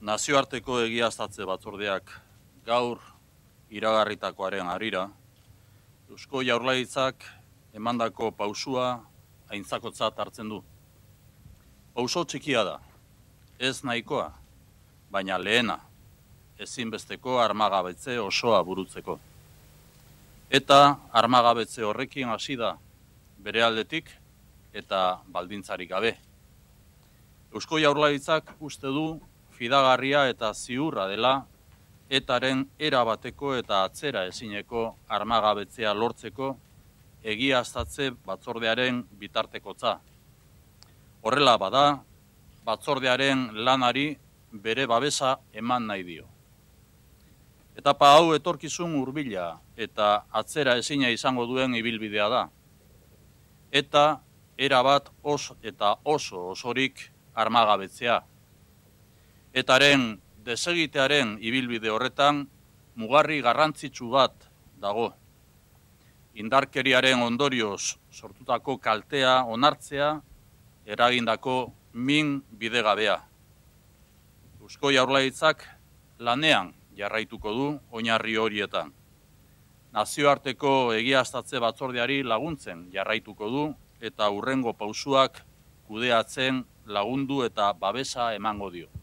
Nazioarteko egiaztatze batzordeak gaur iragarritakoaren harira, Eusko Jaurlaritzak emandako pausua aintzakotzat hartzen du. Pauso txikia da, ez nahikoa, baina lehena, ezinbesteko armagabetze osoa burutzeko. Eta armagabetze horrekin hasi da bere aldetik eta baldintzarik gabe. Eusko Jaurlaritzak uste du fidagarria eta ziurra dela etaren erabateko eta atzera ezineko armagabetzea lortzeko egiaztatze batzordearen bitartekotza. Horrela bada, batzordearen lanari bere babesa eman nahi dio. Etapa hau etorkizun hurbila eta atzera ezina izango duen ibilbidea da. Eta erabat oso osorik armagabetzea. Etaren desegitearen ibilbide horretan mugarri garrantzitsu bat dago. Indarkeriaren ondorioz sortutako kaltea onartzea, eragindako min bidegabea. Eusko Jaurlaritzak lanean jarraituko du oinarri horietan. Nazioarteko egiaztatze batzordeari laguntzen jarraituko du eta hurrengo pausuak kudeatzen lagundu eta babesa emango dio.